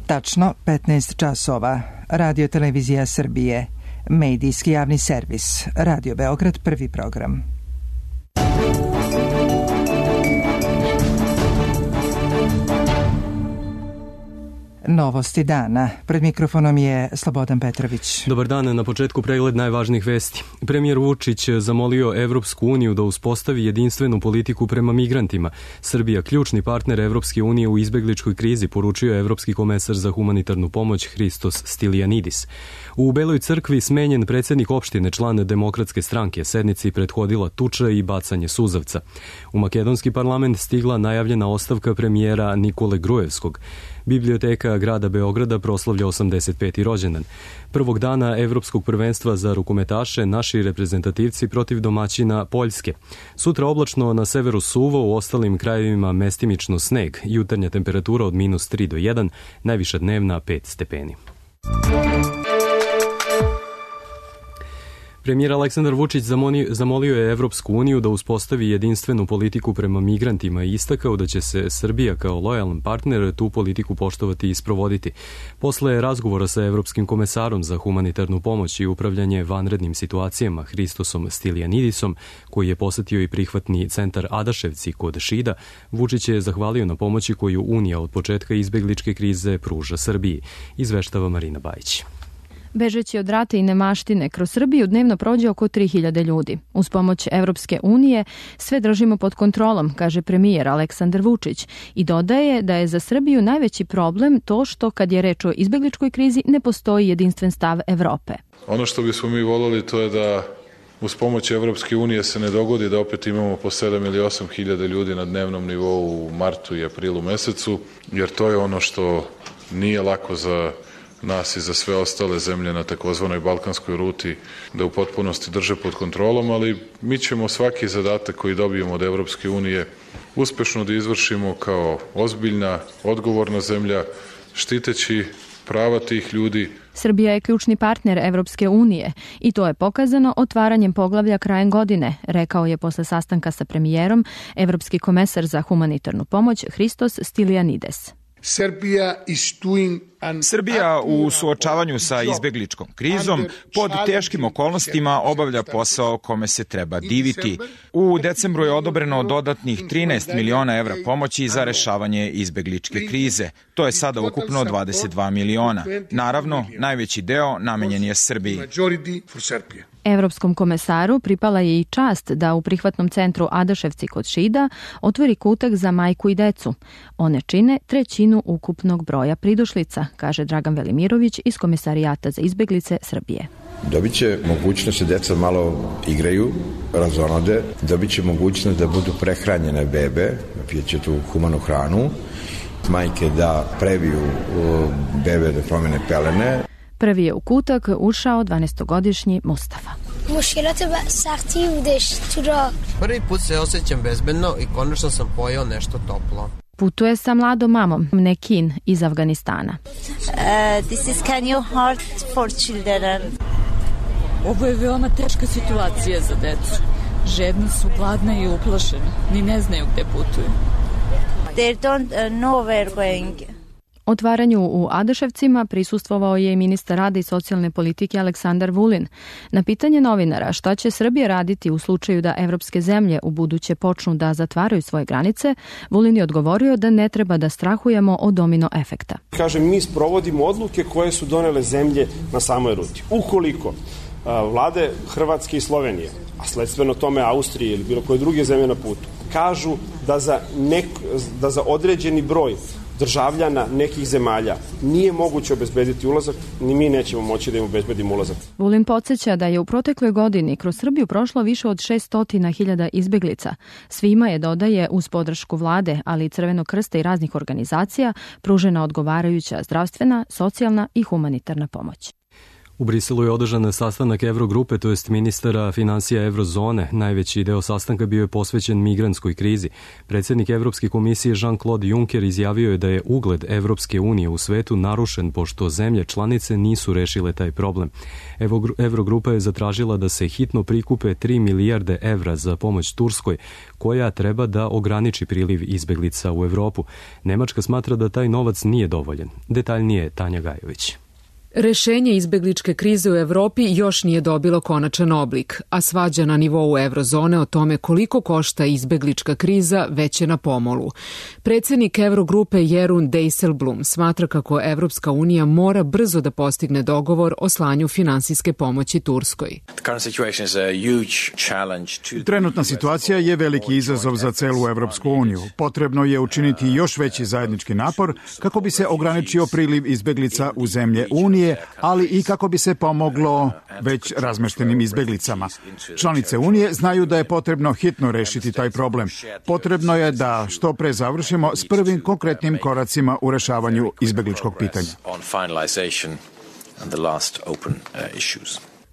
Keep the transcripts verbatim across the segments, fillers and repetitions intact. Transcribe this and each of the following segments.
Tačno petnaest časova. Radio Televizija Srbije. Medijski javni servis. Radio Beograd, prvi program. Novosti dana. Pred mikrofonom je Slobodan Petrović. Dobar dan, na početku pregled najvažnijih vesti. Premijer Vučić zamolio Evropsku uniju da uspostavi jedinstvenu politiku prema migrantima. Srbija, ključni partner Evropske unije u izbegličkoj krizi, poručio je Evropski komesar za humanitarnu pomoć Hristos Stylianidis. U Beloj crkvi smenjen predsjednik opštine, član Demokratske stranke, sednici prethodila tuča i bacanje suzavca. U makedonski parlament stigla najavljena ostavka premijera Nikole Grujevskog. Biblioteka grada Beograda proslavlja osamdeset peti rođendan. Prvog dana Evropskog prvenstva za rukometaše naši reprezentativci protiv domaćina Poljske. Sutra oblačno, na severu suvo, u ostalim krajevima mestimično sneg. Jutarnja temperatura od minus tri do jedan, najviša dnevna pet stepeni. Premijer Aleksandar Vučić zamolio je Evropsku uniju da uspostavi jedinstvenu politiku prema migrantima i istakao da će se Srbija kao lojalan partner tu politiku poštovati i sprovoditi. Posle razgovora sa Evropskim komesarom za humanitarnu pomoć i upravljanje vanrednim situacijama Hristosom Stylianidisom, koji je posetio i prihvatni centar Adaševci kod Šida, Vučić je zahvalio na pomoći koju Unija od početka izbegličke krize pruža Srbiji, izveštava Marina Bajić. Bežeći od rata i nemaštine, kroz Srbiju dnevno prođe oko tri hiljade ljudi. Uz pomoć Evropske unije sve držimo pod kontrolom, kaže premijer Aleksandar Vučić, i dodaje da je za Srbiju najveći problem to što, kad je reč o izbegličkoj krizi, ne postoji jedinstven stav Evrope. Ono što bismo mi voljeli to je da uz pomoć Evropske unije se ne dogodi da opet imamo po sedam ili osam hiljada ljudi na dnevnom nivou u martu i aprilu mesecu, jer to je ono što nije lako za nas i za sve ostale zemlje na takozvanoj balkanskoj ruti da u potpunosti drže pod kontrolom, ali mi ćemo svaki zadatak koji dobijemo od Evropske unije uspešno da izvršimo kao ozbiljna, odgovorna zemlja, štiteći prava tih ljudi. Srbija je ključni partner Evropske unije i to je pokazano otvaranjem poglavlja krajem godine, rekao je posle sastanka sa premijerom Evropski komesar za humanitarnu pomoć Hristos Stylianides. Srbija u suočavanju sa izbegličkom krizom pod teškim okolnostima obavlja posao kome se treba diviti. U decembru je odobreno dodatnih trinaest miliona evra pomoći za rešavanje izbegličke krize. To je sada ukupno dvadeset dva miliona. Naravno, najveći deo namenjen je Srbiji. Evropskom komesaru pripala je i čast da u prihvatnom centru Adaševci kod Šida otvori kutak za majku i decu. One čine trećinu ukupnog broja pridošlica, kaže Dragan Velimirović iz Komesarijata za izbeglice Srbije. Dobit će mogućnost da deca malo igraju, razonode, dobit će mogućnost da budu prehranjene bebe, pijeće tu humanu hranu, majke da previju bebe da promene pelene. Prvi je u kutak ušao dvanaestogodišnji Mustafa. Prvi put se osjećam bezbedno i konačno sam pojeo nešto toplo. Putuje sa mladom mamom, Nekin, iz Afganistana. Uh, this is kind of hard for children. Ovo je veoma teška situacija za decu. Žedni su, gladni i uplašeni. Ni ne znaju gde putuju. They don't know where going. Otvaranju u Adaševcima prisustvovao je i ministar rada i socijalne politike Aleksandar Vulin. Na pitanje novinara šta će Srbija raditi u slučaju da evropske zemlje u buduće počnu da zatvaraju svoje granice, Vulin je odgovorio da ne treba da strahujemo od domino efekta. Kažem, mi sprovodimo odluke koje su donele zemlje na samoj ruti. Ukoliko vlade Hrvatske i Slovenije, a sledstveno tome Austrije ili bilo koje druge zemlje na putu, kažu da za, nek, da za određeni broj državljana nekih zemalja nije moguće obezbediti ulazak, ni mi nećemo moći da im obezbedimo ulazak. Vulin podsjeća da je u protekloj godini kroz Srbiju prošlo više od šessto hiljada izbeglica. Svima je, dodaje, uz podršku vlade, ali i Crvenog krsta i raznih organizacija, pružena odgovarajuća zdravstvena, socijalna i humanitarna pomoć. U Briselu je održan sastanak Evrogrupe, to jest ministara financija Evrozone. Najveći deo sastanka bio je posvećen migrantskoj krizi. Predsjednik Evropske komisije Jean-Claude Juncker izjavio je da je ugled Evropske unije u svetu narušen pošto zemlje članice nisu rešile taj problem. Evrogrupa je zatražila da se hitno prikupe tri milijarde evra za pomoć Turskoj, koja treba da ograniči priliv izbeglica u Evropu. Nemačka smatra da taj novac nije dovoljan. Detaljnije Tanja Gajović. Rešenje izbegličke krize u Evropi još nije dobilo konačan oblik, a svađa na nivou Evrozone o tome koliko košta izbeglička kriza već je na pomolu. Predsjednik Evrogrupe Jeroen Dijsselbloem smatra kako Evropska unija mora brzo da postigne dogovor o slanju finansijske pomoći Turskoj. Trenutna situacija je veliki izazov za celu Evropsku uniju. Potrebno je učiniti još veći zajednički napor kako bi se ograničio priliv izbeglica u zemlje Unije, ali i kako bi se pomoglo već razmeštenim izbeglicama. Članice Unije znaju da je potrebno hitno rešiti taj problem. Potrebno je da što pre završimo s prvim konkretnim koracima u rešavanju izbegličkog pitanja.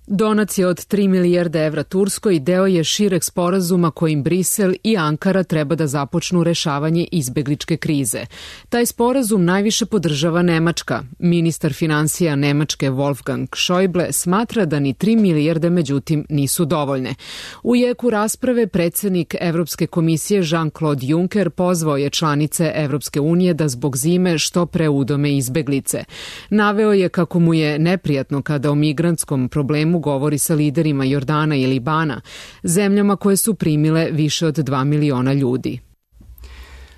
Donacija od tri milijarde evra Turskoj deo je šireg sporazuma kojim Brisel i Ankara treba da započnu rešavanje izbegličke krize. Taj sporazum najviše podržava Nemačka. Ministar financija Nemačke Wolfgang Schäuble smatra da ni tri milijarde međutim nisu dovoljne. U jeku rasprave predsjednik Evropske komisije Jean-Claude Juncker pozvao je članice Evropske unije da zbog zime što pre udome izbeglice. Naveo je kako mu je neprijatno kada o migrantskom problemu govori sa liderima Jordana i Libana, zemljama koje su primile više od dva miliona ljudi.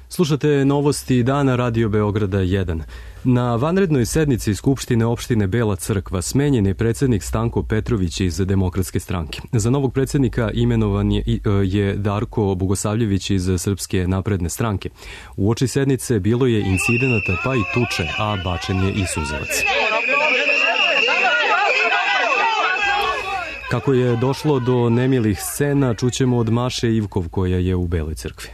Slušate novosti dana Radio Beograda jedan. Na vanrednoj sednici Skupštine opštine Bela Crkva smenjen je predsjednik Stanko Petrović iz Demokratske stranke. Za novog predsjednika imenovan je, je Darko Bogosavljević iz Srpske napredne stranke. U oči sednice bilo je incidenata pa i tuče, a bačen je i suzavac. Kako je došlo do nemilih scena, čućemo od Maše Ivkov koja je u Beloj Crkvi.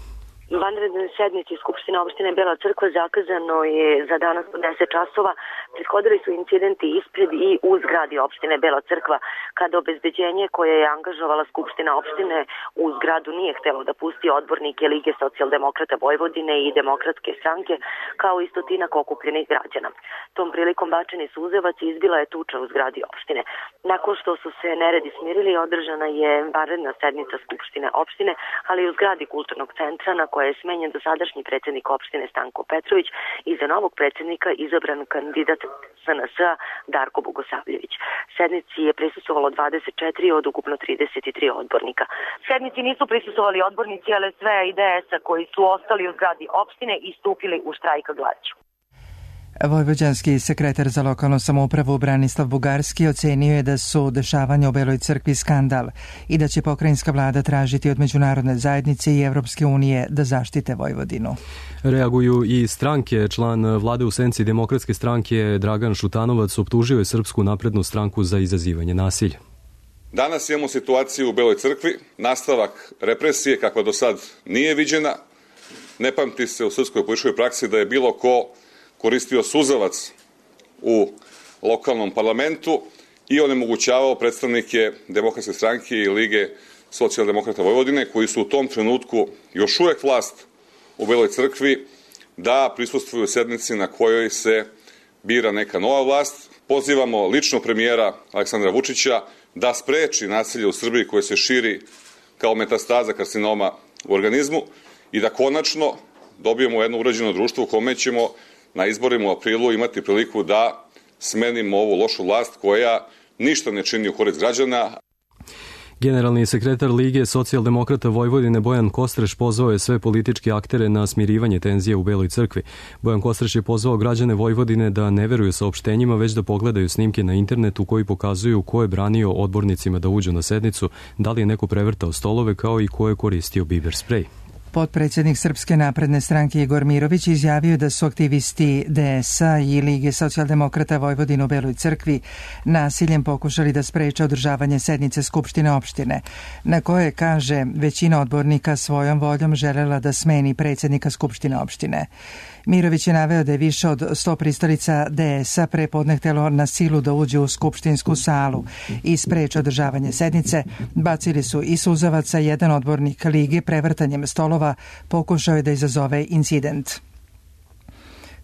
Vanrednoj sednici Skupštine opštine Bela Crkva zakazano je za danas u deset časova. Prethodili su incidenti ispred i u zgradi opštine Bela Crkva, kada obezbeđenje koje je angažovala Skupština opštine u zgradu nije htelo da pusti odbornike Lige socijaldemokrata Vojvodine i Demokratske stranke, kao i stotinak okupljenih građana. Tom prilikom bačeni suzevac i izbila je tuča u zgradi opštine. Nakon što su se neredi smirili, održana je vanredna sednica Skupštine opštine, ali i u zgradi kulturnog centra na koje je smenjen dosadašnji predsjednik opštine Stanko Petrović i za novog predsjednika izabran kandidat S N S-a Darko Bogosavljević. Sednici je prisustvovalo dvadeset četiri od ukupno trideset tri odbornika. Sednici nisu prisustvovali odbornici L S V i D S-a koji su ostali u zgradi opštine i stupili u štrajk glađu. Vojvođanski sekretar za lokalnu samoupravu Branislav Bugarski ocenio je da su dešavanja u Beloj Crkvi skandal i da će pokrajinska vlada tražiti od međunarodne zajednice i Evropske unije da zaštite Vojvodinu. Reaguju i stranke. Član vlade u senci Demokratske stranke Dragan Šutanovac optužio je Srpsku naprednu stranku za izazivanje nasilja. Danas imamo situaciju u Beloj Crkvi, nastavak represije kakva do sad nije viđena. Ne pamti se u srpskoj političkoj praksi da je bilo ko koristio suzavac u lokalnom parlamentu i onemogućavao predstavnike Demokratske stranke i Lige socijaldemokrata Vojvodine, koji su u tom trenutku još uvek vlast u Beloj Crkvi, da prisustvuju sednici na kojoj se bira neka nova vlast. Pozivamo lično premijera Aleksandra Vučića da spreči nasilje u Srbiji koje se širi kao metastaza karcinoma u organizmu i da konačno dobijemo jedno uređeno društvo u kome ćemo na izborima u aprilu imati priliku da smenimo ovu lošu vlast koja ništa ne čini u korist građana. Generalni sekretar Lige socijaldemokrata Vojvodine Bojan Kostreš pozvao je sve političke aktere na smirivanje tenzija u Beloj Crkvi. Bojan Kostreš je pozvao građane Vojvodine da ne veruju saopštenjima, već da pogledaju snimke na internetu koji pokazuju ko je branio odbornicima da uđu na sednicu, da li je neko prevrtao stolove, kao i ko je koristio biber sprej. Potpredsjednik Srpske napredne stranke Igor Mirović izjavio da su aktivisti D S A i Lige socijaldemokrata Vojvodine u Beloj Crkvi nasiljem pokušali da spreče održavanje sednice Skupštine opštine, na koje, kaže, većina odbornika svojom voljom želela da smeni predsjednika Skupštine opštine. Mirović je naveo da je više od sto pristalica D S A prepodne htelo na silu da uđe u skupštinsku salu i spreče održavanje sednice. Bacili su i suzavaca, jedan odbornik Lige prevrtanjem stolova pokušao je da izazove incident.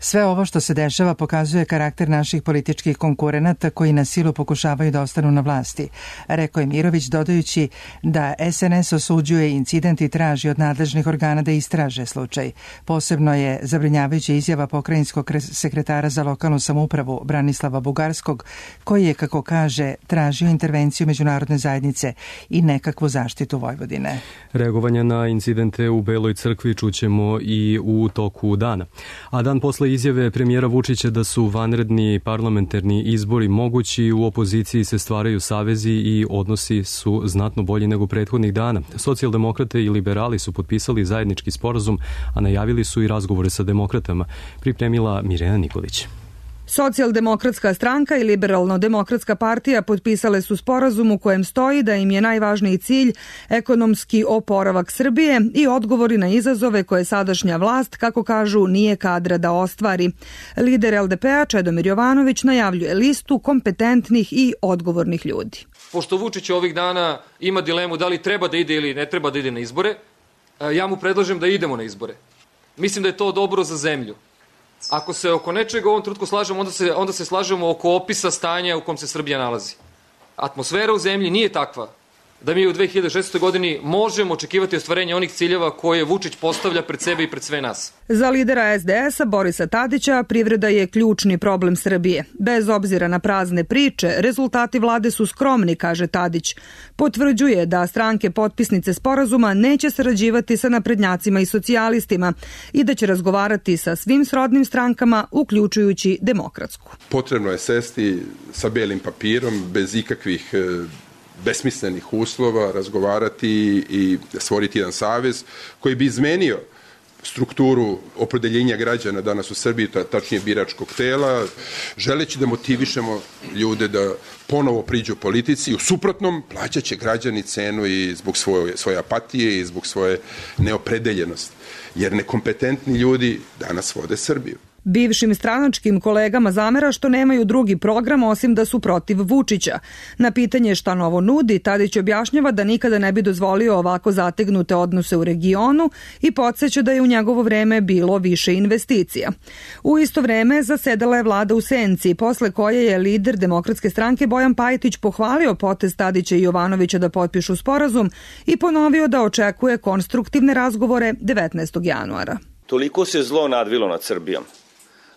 Sve ovo što se dešava pokazuje karakter naših političkih konkurenata koji na silu pokušavaju da ostanu na vlasti, rekao je Mirović, dodajući da S N S osuđuje incident i traži od nadležnih organa da istraže slučaj. Posebno je zabrinjavajuća izjava pokrajinskog sekretara za lokalnu samoupravu Branislava Bugarskog, koji je, kako kaže, tražio intervenciju međunarodne zajednice i nekakvu zaštitu Vojvodine. Reagovanja na incidente u Beloj Crkvi čućemo i u toku dana. A dan posle izjave premijera Vučića da su vanredni parlamentarni izbori mogući, u opoziciji se stvaraju savezi i odnosi su znatno bolji nego prethodnih dana. Socijaldemokrate i liberali su potpisali zajednički sporazum, a najavili su i razgovore sa demokratama, pripremila Mirjana Nikolić. Socijaldemokratska stranka i Liberalno-demokratska partija potpisale su sporazum u kojem stoji da im je najvažniji cilj ekonomski oporavak Srbije i odgovori na izazove koje sadašnja vlast, kako kažu, nije kadra da ostvari. Lider L D P-a Čedomir Jovanović najavljuje listu kompetentnih i odgovornih ljudi. Pošto Vučić ovih dana ima dilemu da li treba da ide ili ne treba da ide na izbore, ja mu predlažem da idemo na izbore. Mislim da je to dobro za zemlju. Ako se oko nečega u ovom trenutku slažemo, onda se, onda se slažemo oko opisa stanja u kom se Srbija nalazi. Atmosfera u zemlji nije takva da mi u dve hiljade šesnaestoj godini možemo očekivati ostvarenje onih ciljeva koje Vučić postavlja pred sebe i pred sve nas. Za lidera S D S-a Borisa Tadića privreda je ključni problem Srbije. Bez obzira na prazne priče, rezultati vlade su skromni, kaže Tadić. Potvrđuje da stranke potpisnice sporazuma neće sarađivati sa naprednjacima i socijalistima i da će razgovarati sa svim srodnim strankama, uključujući demokratsku. Potrebno je sesti sa belim papirom, bez ikakvih besmislenih uslova, razgovarati i stvoriti jedan savez koji bi izmenio strukturu opredeljenja građana danas u Srbiji, tačnije biračkog tela, želeći da motivišemo ljude da ponovo priđu politici. U suprotnom, plaćat će građani cenu i zbog svoje, svoje apatije i zbog svoje neopredeljenosti. Jer nekompetentni ljudi danas vode Srbiju. Bivšim stranačkim kolegama zamera što nemaju drugi program osim da su protiv Vučića. Na pitanje šta novo nudi, Tadić objašnjava da nikada ne bi dozvolio ovako zategnute odnose u regionu i podsjeća da je u njegovo vreme bilo više investicija. U isto vreme zasedala je vlada u senci, posle koje je lider Demokratske stranke Bojan Pajtić pohvalio potez Tadića i Jovanovića da potpišu sporazum i ponovio da očekuje konstruktivne razgovore devetnaestog januara. Toliko se zlo nadvilo nad Srbijom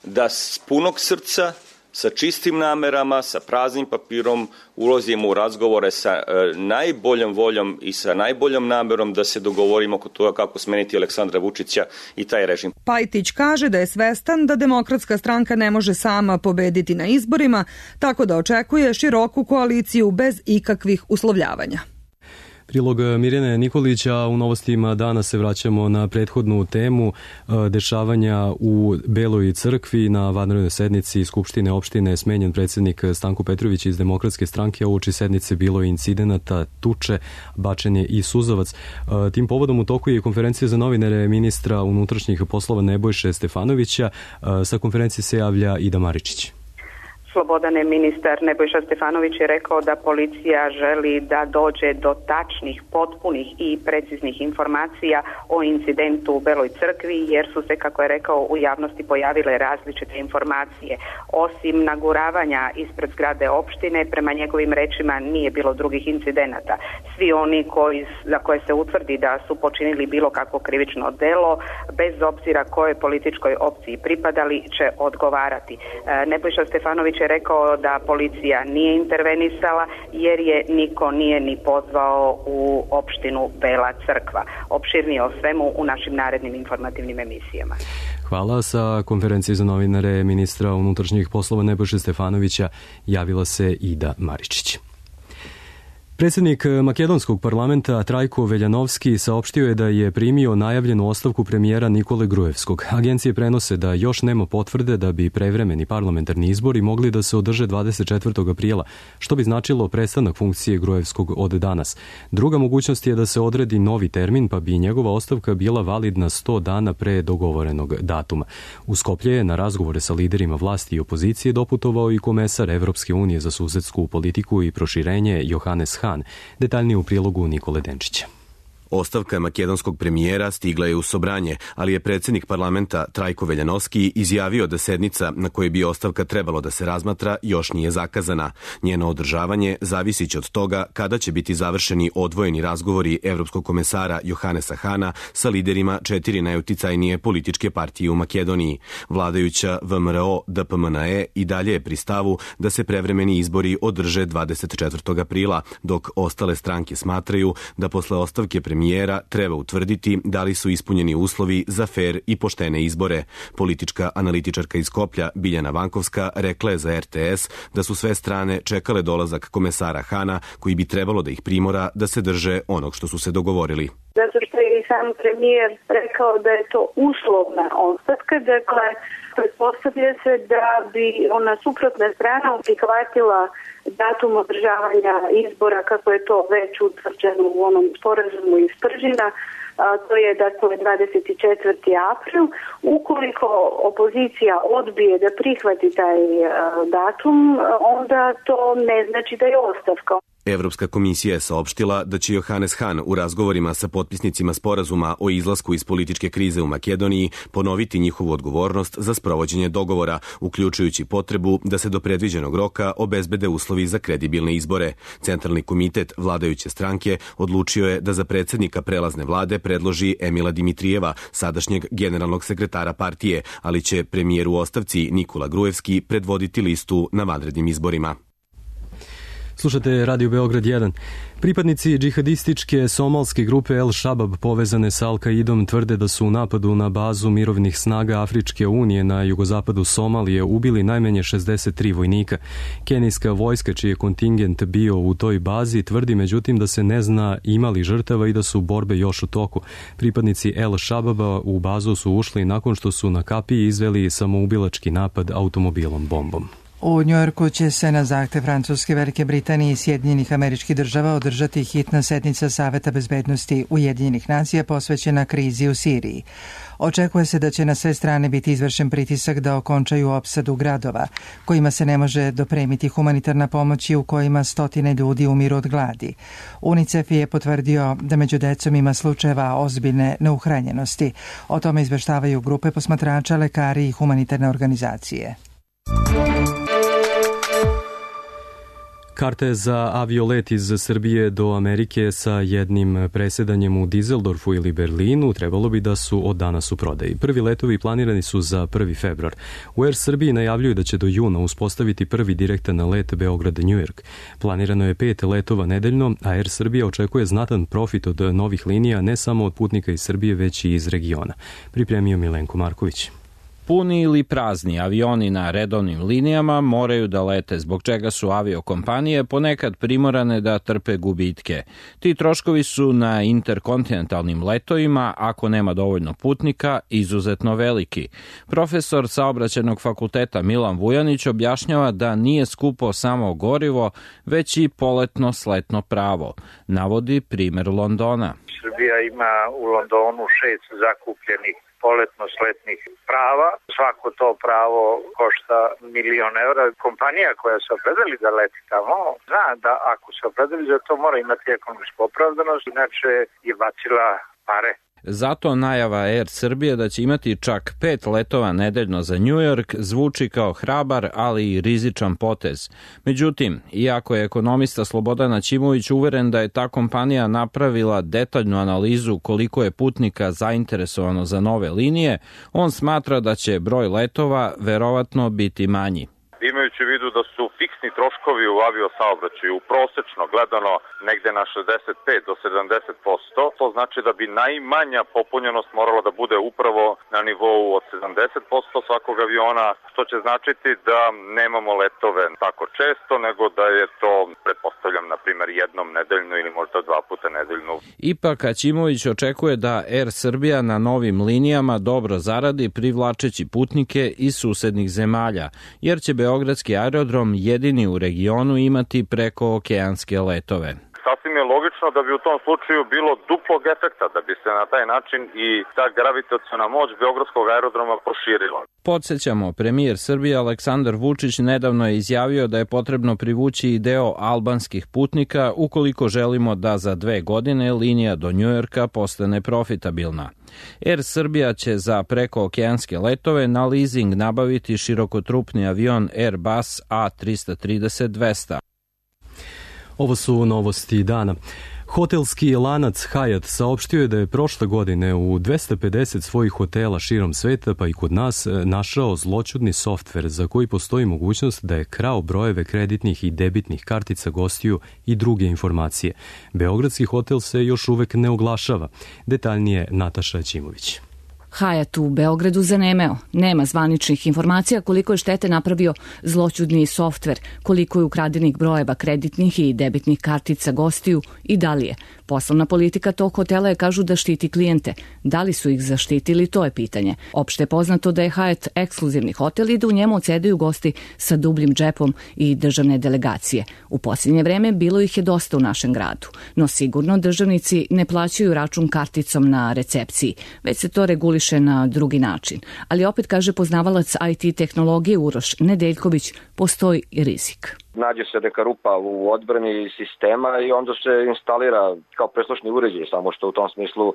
da s punog srca, sa čistim namerama, sa praznim papirom ulazimo u razgovore sa e, najboljom voljom i sa najboljom namerom da se dogovorimo oko toga kako smeniti Aleksandra Vučića i taj režim. Pajtić kaže da je svestan da Demokratska stranka ne može sama pobediti na izborima, tako da očekuje široku koaliciju bez ikakvih uslovljavanja. Prilog Mirjane Nikolića. U novostima dana se vraćamo na prethodnu temu dešavanja u Beloj Crkvi. Na vanrednoj sednici Skupštine opštine je smenjen predsjednik Stanko Petrović iz Demokratske stranke. Uoči sednice bilo je incidenata, tuče, bačenje i suzavac. Tim povodom u toku je konferencija za novinare ministra unutrašnjih poslova Nebojše Stefanovića. Sa konferencije se javlja Ida Maričić. Slobodane, ministar Nebojša Stefanović je rekao da policija želi da dođe do tačnih, potpunih i preciznih informacija o incidentu u Beloj Crkvi, jer su se, kako je rekao, u javnosti pojavile različite informacije. Osim naguravanja ispred zgrade opštine, prema njegovim rečima nije bilo drugih incidenata. Svi oni koji, za koje se utvrdi da su počinili bilo kakvo krivično delo, bez obzira kojoj političkoj opciji pripadali, će odgovarati. Nebojša Stefanović je rekao da policija nije intervenisala jer je niko nije ni pozvao u opštinu Bela Crkva. Opširnije o svemu u našim narednim informativnim emisijama. Hvala. Sa konferencije za novinare ministra unutrašnjih poslova Nebojše Stefanovića javila se Ida Maričić. Predsjednik makedonskog parlamenta Trajko Veljanovski saopštio je da je primio najavljenu ostavku premijera Nikole Grujevskog. Agencije prenose da još nema potvrde da bi prevremeni parlamentarni izbori mogli da se održe dvadeset četvrtog aprila, što bi značilo prestanak funkcije Grujevskog od danas. Druga mogućnost je da se odredi novi termin, pa bi njegova ostavka bila validna sto dana pre dogovorenog datuma. U Skoplje je na razgovore sa liderima vlasti i opozicije doputovao i komesar Evropske unije za susedsku politiku i proširenje Johannes Hahn. Detaljnije u prilogu Nikole Denčića. Ostavka makedonskog premijera stigla je u Sobranje, ali je predsjednik parlamenta Trajko Veljanovski izjavio da sednica na kojoj bi ostavka trebalo da se razmatra još nije zakazana. Njeno održavanje zavisiće od toga kada će biti završeni odvojeni razgovori evropskog komesara Johannesa Hahna sa liderima četiri najuticajnije političke partije u Makedoniji. Vladajuća V M R O D P M N E i dalje je pri stavu da se prevremeni izbori održe dvadeset četvrtog aprila, dok ostale stranke smatraju da posle ostavke premijera premijera treba utvrditi da li su ispunjeni uslovi za fer i poštene izbore. Politička analitičarka iz Skoplja Biljana Vankovska rekla je za R T S da su sve strane čekale dolazak komesara Hahna, koji bi trebalo da ih primora da se drže onog što su se dogovorili. Zato što je i sam premijer rekao da je to uslovna ostavka, dakle pretpostavlja se da bi ona suprotna strana prihvatila datum održavanja izbora kako je to već utvrđeno u onom sporazumu iz Pržina, a to je dakle dvadeset četvrti april. Ukoliko opozicija odbije da prihvati taj datum, onda to ne znači da je ostavka. Evropska komisija je saopštila da će Johannes Hahn u razgovorima sa potpisnicima sporazuma o izlasku iz političke krize u Makedoniji ponoviti njihovu odgovornost za sprovođenje dogovora, uključujući potrebu da se do predviđenog roka obezbede uslovi za kredibilne izbore. Centralni komitet vladajuće stranke odlučio je da za predsjednika prelazne vlade predloži Emila Dimitrijeva, sadašnjeg generalnog sekretara partije, ali će premijer u ostavci Nikola Grujevski predvoditi listu na vanrednim izborima. Slušate Radio Beograd jedan. Pripadnici džihadističke somalske grupe El Shabab povezane sa Al-Kaidom tvrde da su u napadu na bazu mirovnih snaga Afričke unije na jugozapadu Somalije ubili najmanje šezdeset tri vojnika. Kenijska vojska, čiji je kontingent bio u toj bazi, tvrdi međutim da se ne zna imali žrtava i da su borbe još u toku. Pripadnici El Shababa u bazu su ušli nakon što su na kapiji izveli samoubilački napad automobilom bombom. U Njujorku će se na zahtev Francuske, Velike Britanije i Sjedinjenih Američkih Država održati hitna sednica Saveta bezbednosti Ujedinjenih nacija posvećena krizi u Siriji. Očekuje se da će na sve strane biti izvršen pritisak da okončaju opsadu gradova, kojima se ne može dopremiti humanitarna pomoć i u kojima stotine ljudi umiru od gladi. UNICEF je potvrdio da među decom ima slučajeva ozbiljne neuhranjenosti. O tome izveštavaju grupe posmatrača, lekari i humanitarne organizacije. Karte za aviolet iz Srbije do Amerike sa jednim presedanjem u Dizeldorfu ili Berlinu trebalo bi da su od danas u prodaji. Prvi letovi planirani su za prvi februar. U Air Srbiji najavljuju da će do juna uspostaviti prvi direktan let Beograd-New York. Planirano je pet letova nedeljno, a Air Srbija očekuje znatan profit od novih linija ne samo od putnika iz Srbije, već i iz regiona. Pripremio Milenko Marković. Puni ili prazni avioni na redovnim linijama moraju da lete, zbog čega su aviokompanije ponekad primorane da trpe gubitke. Ti troškovi su na interkontinentalnim letovima, ako nema dovoljno putnika, izuzetno veliki. Profesor saobraćajnog fakulteta Milan Vujanić objašnjava da nije skupo samo gorivo, već i poletno sletno pravo. Navodi primer Londona. Srbija ima u Londonu šest zakupljenih poletno-sletnih prava. Svako to pravo košta milion evra. Kompanija koja se opredeli da leti tamo, zna da ako se opredeli za to mora imati ekonomsku opravdanost, inače je bacila pare. Zato najava Air Srbije da će imati čak pet letova nedeljno za New York zvuči kao hrabar, ali i rizičan potez. Međutim, iako je ekonomista Slobodan Aćimović uveren da je ta kompanija napravila detaljnu analizu koliko je putnika zainteresovano za nove linije, on smatra da će broj letova verovatno biti manji. imajući u vidu da su fiksni troškovi u aviosaobraćaju prosečno gledano negde na šezdeset pet do sedamdeset posto. To znači da bi najmanja popunjenost morala da bude upravo na nivou od sedamdeset posto svakog aviona, što će značiti da nemamo letove tako često, nego da je to, pretpostavljam, na primjer jednom nedeljno ili možda dva puta nedeljno. Ipak Aćimović očekuje da Air Srbija na novim linijama dobro zaradi privlačeći putnike iz susednih zemalja, jer će Beogradski aerodrom jedini u regionu imati preko okeanske letove. Sasvim je logično da bi u tom slučaju bilo duplog efekta, da bi se na taj način i ta gravitaciona moć Beogradskog aerodroma proširila. Podsjećamo, premijer Srbije Aleksandar Vučić nedavno je izjavio da je potrebno privući i deo albanskih putnika ukoliko želimo da za dve godine linija do Njujorka postane profitabilna. Air Srbija će za prekookeanske letove na leasing nabaviti širokotrupni avion Airbus A trista trideset dvesta. Ovo su novosti dana. Hotelski lanac Hyatt saopštio je da je prošle godine u dvesta pedeset svojih hotela širom sveta, pa i kod nas, našao zloćudni softver za koji postoji mogućnost da je krao brojeve kreditnih i debitnih kartica gostiju i druge informacije. Beogradski hotel se još uvek ne oglašava. Detaljnije Nataša Aćimović. Hyatt u Beogradu zanemeo. Nema zvaničnih informacija koliko je štete napravio zloćudni softver, koliko je ukradenih brojeva kreditnih i debitnih kartica gostiju i da li je. Poslovna politika tog hotela je, kažu, da štiti klijente. Da li su ih zaštitili, to je pitanje. Opšte je poznato da je Hyatt ekskluzivni hotel i da u njemu odsedaju gosti sa dubljim džepom i državne delegacije. U posljednje vreme bilo ih je dosta u našem gradu, no sigurno državnici ne plaćaju račun karticom na recepciji, već se to reguliše na drugi način. Ali opet, kaže poznavalac I T tehnologije Uroš Nedeljković, postoji i rizik. Nađe se neka rupa u odbrani sistema i onda se instalira kao preslušni uređaj, samo što u tom smislu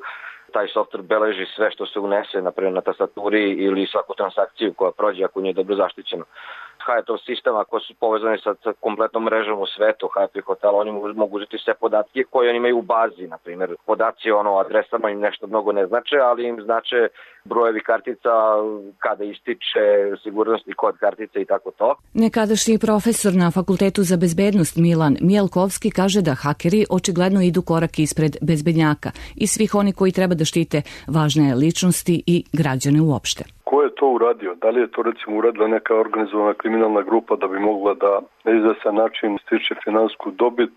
taj softver beleži sve što se unese, naprimjer na tastaturi ili svaku transakciju koja prođe ako nije dobro zaštićeno. Hyattov sistem, ako su povezani sa kompletnom mrežom u svetu Hyattovih hotela, oni mogu uzeti sve podatke koje oni imaju u bazi, na primjer. Podaci ono, adresama im nešto mnogo ne znače, ali im znače brojevi kartica, kada ističe sigurnosni kod kartice i tako to. Nekadašnji profesor na Fakultetu za bezbednost Milan Mielkovski kaže da hakeri očigledno idu korak ispred bezbednjaka i svih oni koji treba da štite važne ličnosti i građane uopšte. Ko je to uradio? Da li je to recimo uradila neka organizovana kriminalna grupa da bi mogla da na izvesan način stiče finansijsku dobit,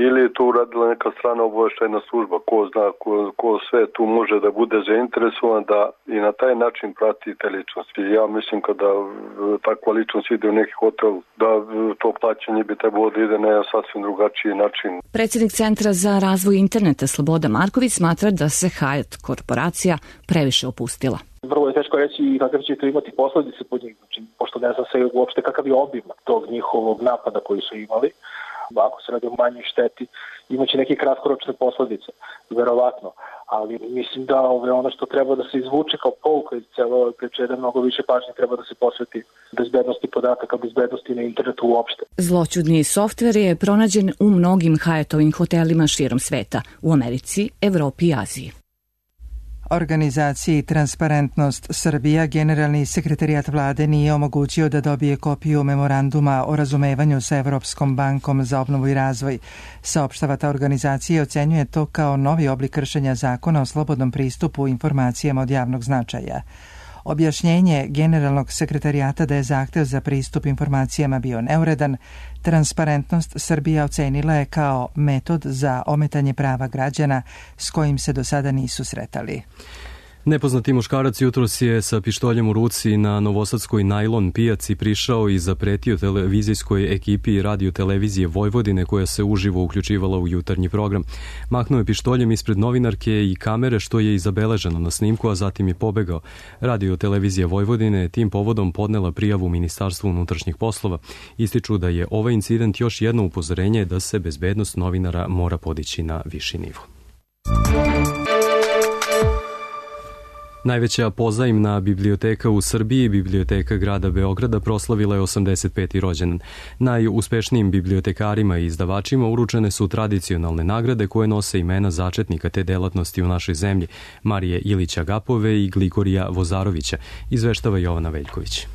ili je to uradila neka strana obaveštajna služba? Ko zna, ko, ko sve tu može da bude zainteresovan da i na taj način prati te ličnosti. Ja mislim kada takva ličnost ide u neki hotel, da to plaćanje bi trebalo da ide na jedan sasvim drugačiji način. Predsjednik Centra za razvoj interneta Sloboda Marković smatra da se Hyatt korporacija previše opustila. Vrlo je teško reći kakav će to imati posledice pod njih, znači, pošto ne zna se uopšte kakav je obim tog njihovog napada koji su imali. Ako se radi o manjoj šteti, imaće neke kratkoročne posledice, verovatno. Ali mislim da ove, ono što treba da se izvuče kao pouka iz celo ove priče, da mnogo više pažnje treba da se posveti bezbednosti podataka, bezbednosti na internetu uopšte. Zloćudni softver je pronađen u mnogim Hyattovim hotelima širom sveta, u Americi, Evropi i Aziji. Organizaciji Transparentnost Srbija generalni sekretarijat vlade nije omogućio da dobije kopiju memoranduma o razumevanju sa Evropskom bankom za obnovu i razvoj. Saopštava ta organizacija ocenjuje to kao novi oblik kršenja zakona o slobodnom pristupu informacijama od javnog značaja. Objašnjenje generalnog sekretarijata da je zahtev za pristup informacijama bio neuredan, Transparentnost Srbija ocenila je kao metod za ometanje prava građana s kojim se do sada nisu sretali. Nepoznati muškarac jutros je sa pištoljem u ruci na novosadskoj najlon pijaci prišao i zapretio televizijskoj ekipi radio televizije Vojvodine koja se uživo uključivala u jutarnji program. Mahnuo je pištoljem ispred novinarke i kamere, što je i zabeleženo na snimku, a zatim je pobegao. Radio televizija Vojvodine je tim povodom podnela prijavu Ministarstvu unutrašnjih poslova. Ističu da je ovaj incident još jedno upozorenje da se bezbednost novinara mora podići na viši nivo. Najveća pozajmna biblioteka u Srbiji, Biblioteka grada Beograda, proslavila je osamdeset peti rođendan. Najuspešnijim bibliotekarima i izdavačima uručene su tradicionalne nagrade koje nose imena začetnika te delatnosti u našoj zemlji, Marije Ilića Gapove i Gligorija Vozarovića, izveštava Jovana Veljković.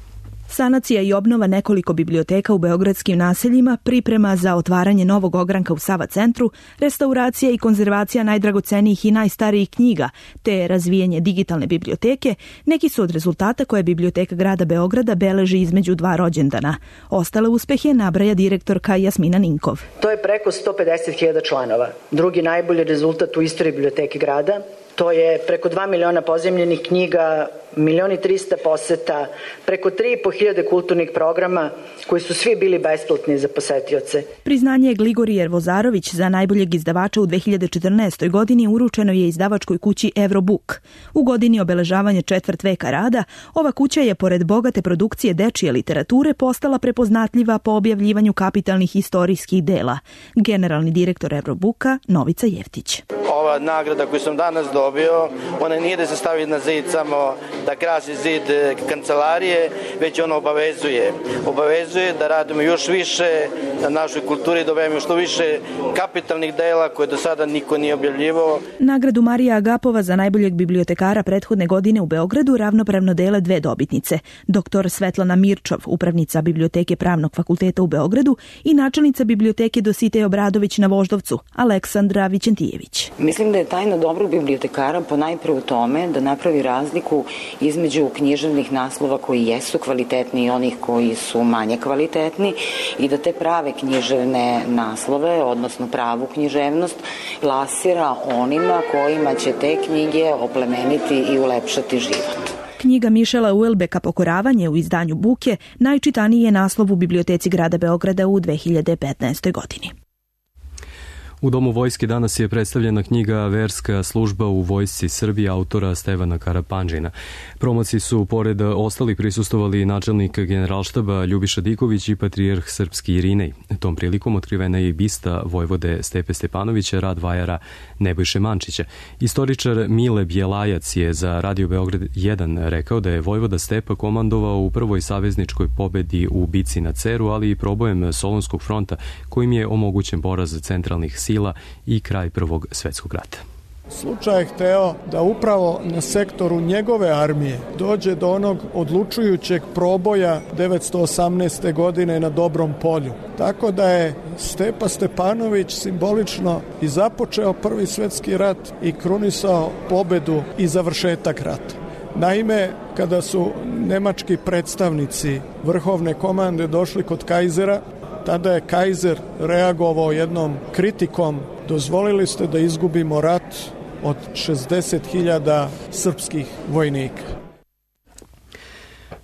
Sanacija i obnova nekoliko biblioteka u beogradskim naseljima, priprema za otvaranje novog ogranka u Sava centru, restauracija i konzervacija najdragocenijih i najstarijih knjiga, te razvijanje digitalne biblioteke, neki su od rezultata koje Biblioteka grada Beograda beleži između dva rođendana. Ostale uspehe nabraja direktorka Jasmina Ninkov. To je preko sto pedeset hiljada članova. Drugi najbolji rezultat u istoriji Biblioteke grada. To je preko dva miliona pozemljenih knjiga, milion i trista poseta, preko tri i po hiljade kulturnih programa koji su svi bili besplatni za posetioce. Priznanje Gligorijer Vozarović za najboljeg izdavača u dve hiljade četrnaestoj. godini uručeno je izdavačkoj kući Eurobook. U godini obeležavanja četvrt veka rada, ova kuća je pored bogate produkcije dečije literature postala prepoznatljiva po objavljivanju kapitalnih istorijskih dela. Generalni direktor Eurobooka Novica Jeftić. Ova nagrada koju sam danas dobio, ona nije da se stavi na zid samo da krasi zid kancelarije, već ona obavezuje. Obavezuje da radimo još više na našoj kulturi, da objavimo što više kapitalnih dela koje do sada niko nije objavljivao. Nagradu Marija Agapova za najboljeg bibliotekara prethodne godine u Beogradu ravnopravno dele dve dobitnice. Doktor Svetlana Mirčov, upravnica Biblioteke Pravnog fakulteta u Beogradu, i načelnica Biblioteke Dositej Obradović na Voždovcu, Aleksandra Vićentijević. Mislim da je tajna dobrog bibliotekara ponajpre u tome da napravi razliku između književnih naslova koji jesu kvalitetni i onih koji su manje kvalitetni i da te prave književne naslove, odnosno pravu književnost, plasira onima kojima će te knjige oplemeniti i ulepšati život. Knjiga Mišela Uelbeka Pokoravanje u izdanju Buke najčitaniji je naslov u Biblioteci grada Beograda u dve hiljade petnaestoj. godini. U Domu vojske danas je predstavljena knjiga Verska služba u vojsci Srbije autora Stevana Karapanđina. Promociji su pored ostalih prisustovali načelnik generalštaba Ljubiša Diković i patrijarh srpski Irinej. Tom prilikom otkrivena je i bista vojvode Stepe Stepanovića, rad vajara Nebojše Mančića. Istoričar Mile Bjelajac je za Radio Beograd jedan rekao da je vojvoda Stepa komandovao u prvoj savezničkoj pobedi u bici na Ceru, ali i probojem Solunskog fronta kojim je omogućen poraz centralnih sila i kraj Prvog svetskog rata. Slučaj je hteo da upravo na sektoru njegove armije dođe do onog odlučujućeg proboja devetsto osamnaeste. godine na Dobrom polju. Tako da je Stepa Stepanović simbolično i započeo Prvi svetski rat i krunisao pobedu i završetak rata. Naime, kada su nemački predstavnici vrhovne komande došli kod kajzera, tada je kajzer reagovao jednom kritikom: dozvolili ste da izgubimo rat od šezdeset hiljada srpskih vojnika.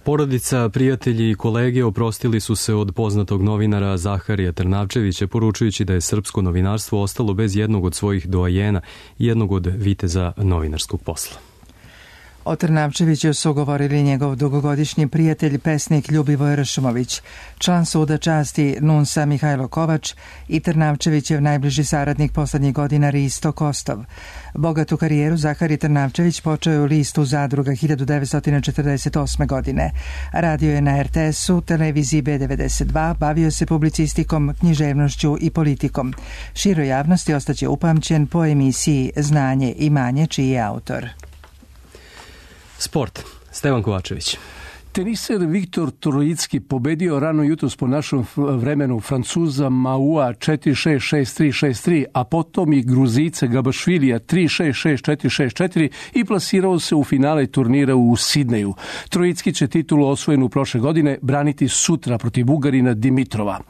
Porodica, prijatelji i kolege oprostili su se od poznatog novinara Zaharija Trnavčevića, poručujući da je srpsko novinarstvo ostalo bez jednog od svojih doajena i jednog od viteza novinarskog posla. O Trnavčeviću su govorili njegov dugogodišnji prijatelj, pesnik Ljubivoje Ršumović, član suda časti Nunsa Mihajlo Kovač i Trnavčevićev najbliži saradnik poslednjih godina Risto Kostov. Bogatu karijeru Zahari Trnavčević počeo je u listu Zadruga hiljadu devetsto četrdeset osme. godine. Radio je na er te esu, televiziji be devedeset dva, bavio se publicistikom, književnošću i politikom. Široj javnosti ostaće upamćen po emisiji Znanje i manje, čiji je autor. Sport. Stevan Kovačević. Teniser Viktor Trojicki pobedio rano jutros po našem vremenu Francuza Maua četiri šest šest tri šest tri, a potom i Gruzice Gabašvilija tri šest šest četiri šest četiri i plasirao se u finale turnira u Sidneju. Trojicki će titulu osvojenu prošle godine braniti sutra protiv Bugarina Dimitrova.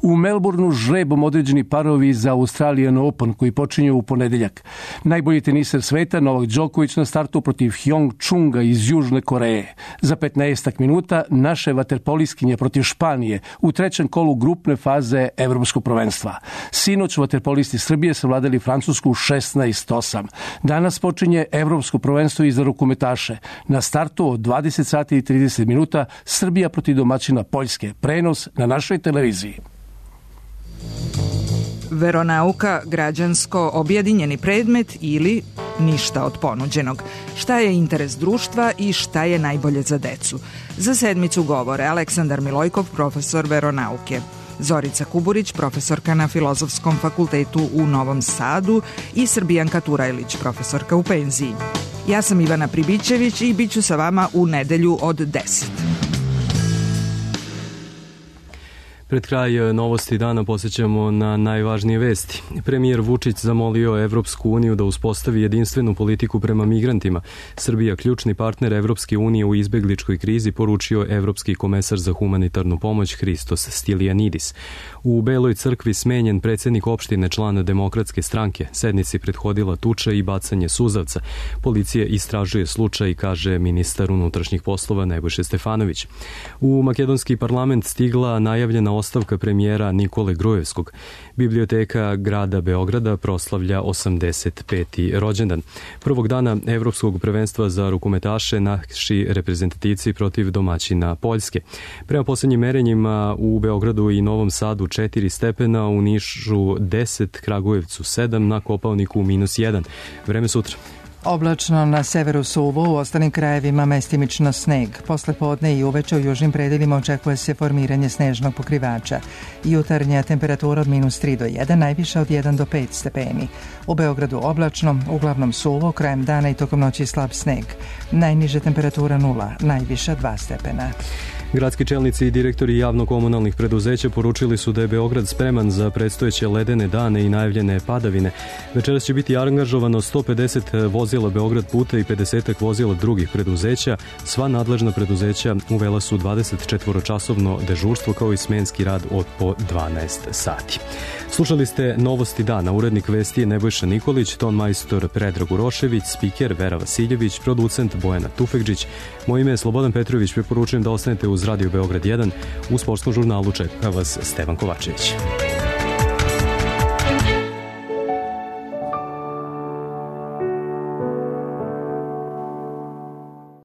U Melbourneu žrebom određeni parovi za Australian Open koji počinju u ponedeljak. Najbolji teniser sveta Novak Đoković na startu protiv Hyong Chunga iz Južne Koreje. Za petnaest minuta naše vaterpoliskinje protiv Španije u trećem kolu grupne faze Evropskog prvenstva. Sinoć vaterpolisti Srbije savladali Francusku šesnaest osam. Danas počinje Evropsko prvenstvo i za rukometaše. Na startu od dvadeset sati i trideset minuta Srbija protiv domaćina Poljske. Prenos na našoj televiziji. Veronauka, građansko objedinjeni predmet ili ništa od ponuđenog. Šta je interes društva i šta je najbolje za decu? Za sedmicu govore Aleksandar Milojkov, profesor veronauke, Zorica Kuburić, profesorka na Filozofskom fakultetu u Novom Sadu i Srbijanka Turajlić, profesorka u penziji. Ja sam Ivana Pribićević i bit ću sa vama u nedelju od deset. Pred kraj novosti dana posjećamo na najvažnije vesti. Premijer Vučić zamolio Evropsku uniju da uspostavi jedinstvenu politiku prema migrantima. Srbija, ključni partner Evropske unije u izbegličkoj krizi, poručio Evropski komesar za humanitarnu pomoć Hristos Stilijanidis. U Beloj crkvi smenjen predsjednik opštine, član Demokratske stranke. Sednici prethodila tuča i bacanje suzavca. Policija istražuje slučaj, kaže ministar unutrašnjih poslova Nebojša Stefanović. U makedonski parlament stigla najavljena ostavka premijera Nikole Grujevskog. Biblioteka grada Beograda proslavlja osamdeset peti rođendan. Prvog dana Evropskog prvenstva za rukometaše naši reprezentativci protiv domaćina Poljske. Prema posljednjim merenjima u Beogradu i Novom Sadu četiri stepena, u Nišu deset, Kragujevcu sedam, na Kopaoniku minus jedan. Vreme sutra. Oblačno, na severu suvo, u ostalim krajevima mestimično sneg. Posle podne i uveče u južnim predelima očekuje se formiranje snežnog pokrivača. Jutarnja temperatura od minus tri do jedan, najviša od jedan do pet stepeni. U Beogradu oblačno, uglavnom suvo, krajem dana i tokom noći slab sneg. Najniža temperatura nula, najviša dva stepena. Gradski čelnici i direktori javno-komunalnih preduzeća poručili su da je Beograd spreman za predstojeće ledene dane i najavljene padavine. Večeras će biti angažovano sto pedeset vozila Beograd puta i pedeset vozila drugih preduzeća. Sva nadležna preduzeća uvela su dvadesetčetvoročasovno dežurstvo kao i smenski rad od po dvanaest sati. Slušali ste Novosti dana. Urednik vesti je Nebojša Nikolić, ton majstor Predrag Urošević, spiker Vera Vasiljević, producent Bojana Tufekđić. Moje ime je Slobodan Petrović. Preporučujem da ostanete uz Radio Beograd jedan. U sportskom žurnalu čeka vas Stevan Kovačević.